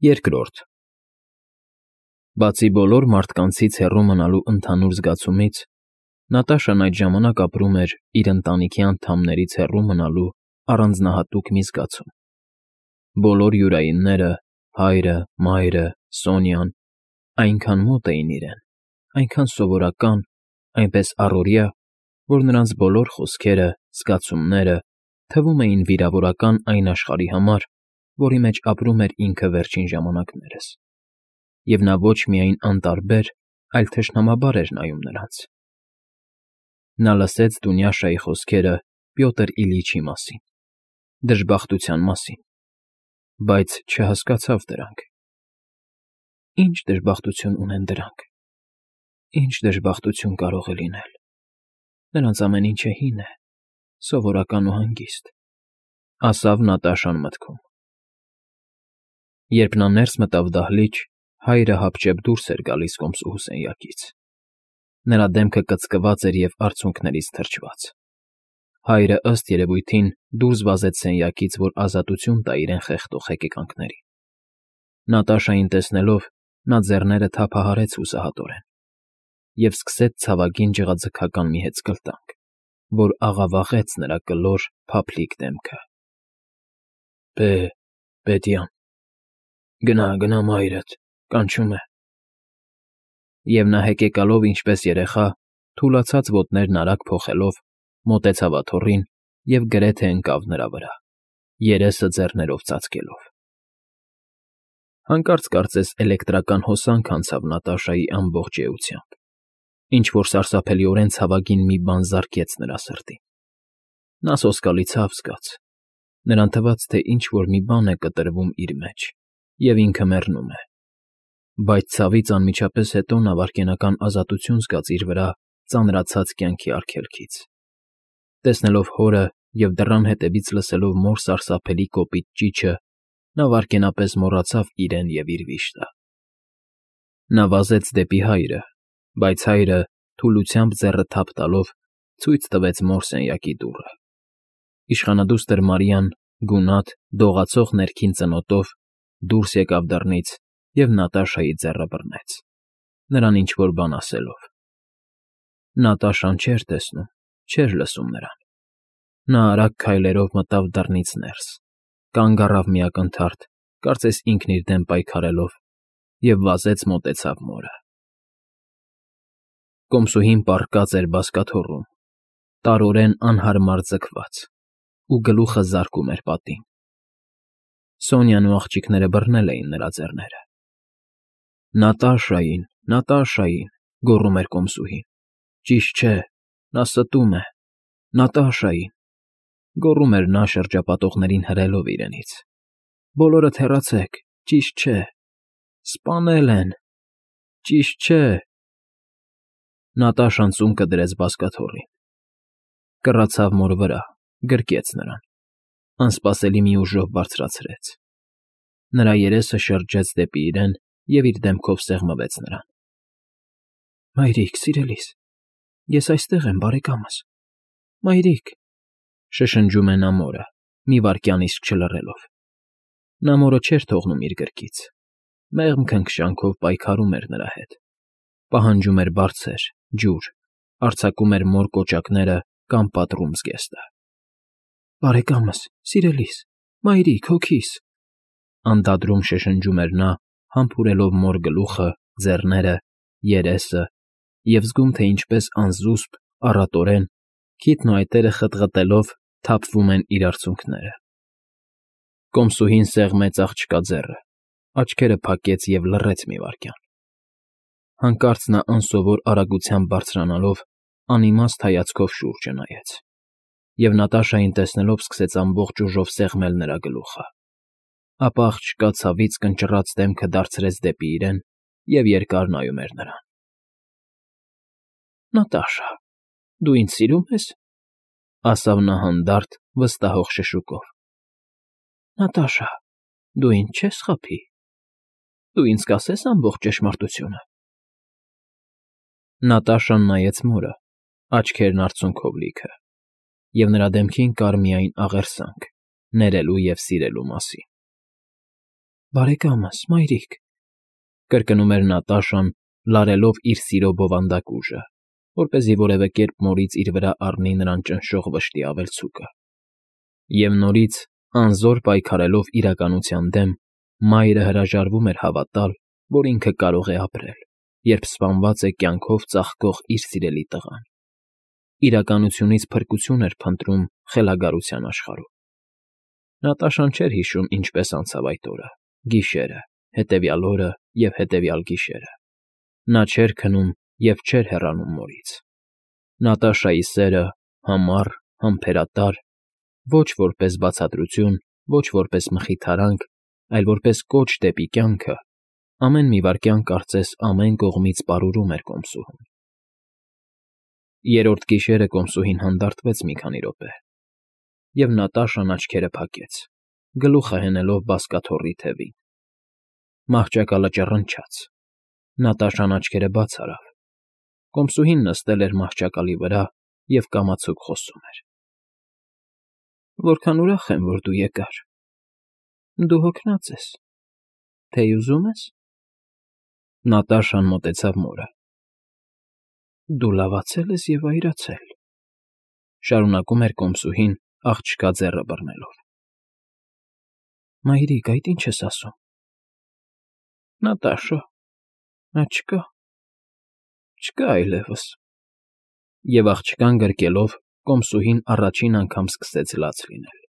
Երկրորդ Բացի բոլոր մարդկանցից հեռու մնալու ընդհանուր զգացումից, Նատաշան այդ ժամանակ ապրում էր իր ընտանիքի անդամներից հեռու մնալու առանձնահատուկ մի զգացում։ Բոլոր յուրայինները՝ հայրը, մայրը, Սոնյան, այնքան մոտ էին իրեն, այնքան սովորական, այնպես առօրյա, որ նրանց բոլոր խոսքերը, զգացումները թվում էին վիրավորական այն աշխարհի համար, որի մեջ ապրում էր ինքը վերջին ժամանակներս, և նա ոչ միայն անտարբեր, այլ թշնամաբար էր նայում նրանց։ Նա լսեց Դունյաշայի խոսքերը Պյոտր Իլիչի մասին, դժբախտության մասին, բայց չհասկացավ դրանք։ Ինչ դժբախտություն ունեն դրանք, ինչ դժբախտություն կարող է լինել։ Նրանց ամեն ինչը հին է, սովորական ու հանգիստ, ասավ Նատաշան մտքում։ Երբ նա ներս մտավ դահլիճ, հայրը հապճեպ դուրս էր գալիս կոմսուհու սենյակից։ Նրա դեմքը կծկված էր և արցունքներից թրջված։ Հայրը, ըստ երևույթին, դուրս վազեց սենյակից, որ ազատություն տա իրեն խեղդող հեկեկանքներին։ Նատաշային տեսնելով, նա ձեռները թափահարեց հուսահատորեն և սկսեց ցավագին ջղաձգական մի հեծկլտանք, որ աղավաղեց նրա կլոր, փափլիկ դեմքը։ Պետյան, գնա մայրդ, կանչում է։ Եվ նա հեկեկալով ինչպես երեխա, թուլացած ոտներն արագ փոխելով, մոտեցավ աթոռին և գրեթե ընկավ նրա վրա, երեսը ձեռներով ծածկելով։ Հանկարծ կարծես էլեկտրական հոսանք անցավ Նատաշայի ամբողջ էությամբ, ինչ֊որ սարսափելիորեն ցավագին մի բան զարկեց նրա սրտին։ Նա սոսկալի ցավ զգաց, նրան թվաց, թե ինչ֊որ մի բան է կտրվում իր մեջ, և ինքը մեռնում է։ Բայց ցավից անմիջապես հետո նա վայրկենական ազատություն զգաց իր վրա ծանրացած կյանքի արգելքից։ Տեսնելով հորը և դռան հետևից լսելով մոր սարսափելի կոպիտ ճիչը, նա վայրկենապես մոռացավ իրեն և իր վիշտը։ Նա վազեց դեպի հայրը, բայց հայրը, թուլությամբ ձեռը թափ տալով, ցույց տվեց մոր սենյակի դուռը։ Իշխանադուստր Մարիան, գունատ, դողացող ներքին ծնոտով, դուրս եկավ դռնից և Նատաշայի ձեռը բռնեց, նրան ինչ֊որ բան ասելով։ Նատաշան չէր տեսնում, չէր լսում նրան։ Նա արագ քայլերով մտավ դռնից ներս, կանգ առավ մի ակնթարթ, կարծես ինքն իր դեմ պայքարելով, և վազեց մոտեցավ մորը։ Կոմսուհին պառկած էր բազկաթոռում, տարորեն անհարմար ձգված, ու գլուխը զարկում էր պատին։ Սոնյան ու աղջիկները բռնել էին նրա ձեռները։ Նատաշային, գոռում էր կոմսուհին։ Ճիշտ չէ, նա ստում է, Նատաշային, գոռում էր նա շրջապատողներին հրելով իրենից։ Բոլորդ հեռացեք, ճիշտ չէ, սպանել են, ճիշտ չէ։ Նատաշան ծունկը դրեց բազկաթոռին, կռացավ մոր վրա, գրկեց նրան, անսպասելի մի ուժով բարձրացրեց։ Նրա երեսը շրջեց դեպի իրեն և իր դեմքով սեղմվեց նրան։ Մայրիկ, սիրելիս, ես այստեղ եմ, բարեկամս, մայրիկ, շշնջում է նա մորը, մի վայրկյան իսկ չլռելով։ Նա մորը չէր թողնում իր գրկից, մեղմ քնքշանքով պայքարում էր նրա հետ, պահանջում էր բարձր, ջուր, արձակում էր մոր կոճակները կամ պատռում զգեստը։ Բարեկամս, սիրելիս, մայրիկ, հոգիս, անդադրում շշնջում էր նա, համբուրելով մոր գլուխը, ձեռները, երեսը և զգում, թե ինչպես անզուսպ, առատորեն, քիթն ու այտերը խտղտելով թափվում են իր արցունքները։ Կոմսուհին սեղմեց աղջկա ձեռը, աչքերը փակեց և լռեց մի վայրկյան։ Հանկարծ նա անսովոր արագությամբ բարձրանալով, անիմաստ հայացքով շուրջը նայեց, և Նատաշային տեսնելով սկսեց ամբողջ ուժով սեղմել նրա գլուխը։ Ապա աղջկա ցավից կնճռած դեմքը դարձրեց դեպի իրեն և երկար նայում էր նրան։ Նատաշա, դու ինձ սիրո՞ւմ ես, ասավ նա հանդարտ, վստահող շշուկով։ Նատաշա, դու ինձ չես խաբի, դու ինձ կասե՞ս ամբողջ ճշմարտությունը։ Նատաշան նայեց մորը, աչքերն արցունքով լիքը, և նրա դեմքին կար միայն աղերսանք, ներելու և սիրելու մասին։ Բարեկամս, մայրիկ, կրկնում էր Նատաշան, լարելով իր սիրո բովանդակ ուժը, որպեսզի որևէ կերպ մորից իր վրա առնի նրան ճնշող վշտի ավելցուկը։ Եվ նորից, անզոր պայքարելով իրականության դեմ, մայրը հրաժարվում էր հավատալ, որ ինքը կարող է ապրել, երբ սպանված է կյանքով ծաղկող իր սիրելի տղան։ Իրականությունից փրկություն էր փնտրում խելագարության աշխարհում։ Նատաշան չէր հիշում ինչպես անցավ այդ օրը, գիշերը, հետևյալ օրը և հետևյալ գիշերը։ Նա չէր քնում և չէր հեռանում մորից։ Նատաշայի սերը, համառ, համբերատար, ոչ որպես բացատրություն, ոչ որպես մխիթարանք, այլ որպես կոչ դեպի կյանքը, ամեն մի վայրկյան կարծես ամեն կողմից պարուրում էր կոմսուհուն։ Երրորդ գիշերը կոմսուհին հանդարտվեց մի քանի րոպե, և Նատաշան աչքերը փակեց, գլուխը հենելով բազկաթոռի թևին։ Մահճակալը ճռնչաց։ Նատաշան աչքերը բաց արավ։ Կոմսուհին նստել էր մահճակալի վրա և կամացուկ խոսում էր։ Որքան ուրախ եմ, որ դու եկար։ Դու հոգնած ես, թեյ ուզում ես։ Նատաշան մոտեցավ մորը։ Դու լավացել ես և այրացել, շարունակում էր կոմսուհին աղջկա ձեռը բռնելով։ Մայրիկ, այդ ի՞նչ ես ասում։ Նատաշա, նա չկա, չկա այլևս։ Եվ աղջկան գրկելով, կոմսուհին առաջին անգամ սկսեց լաց լինել։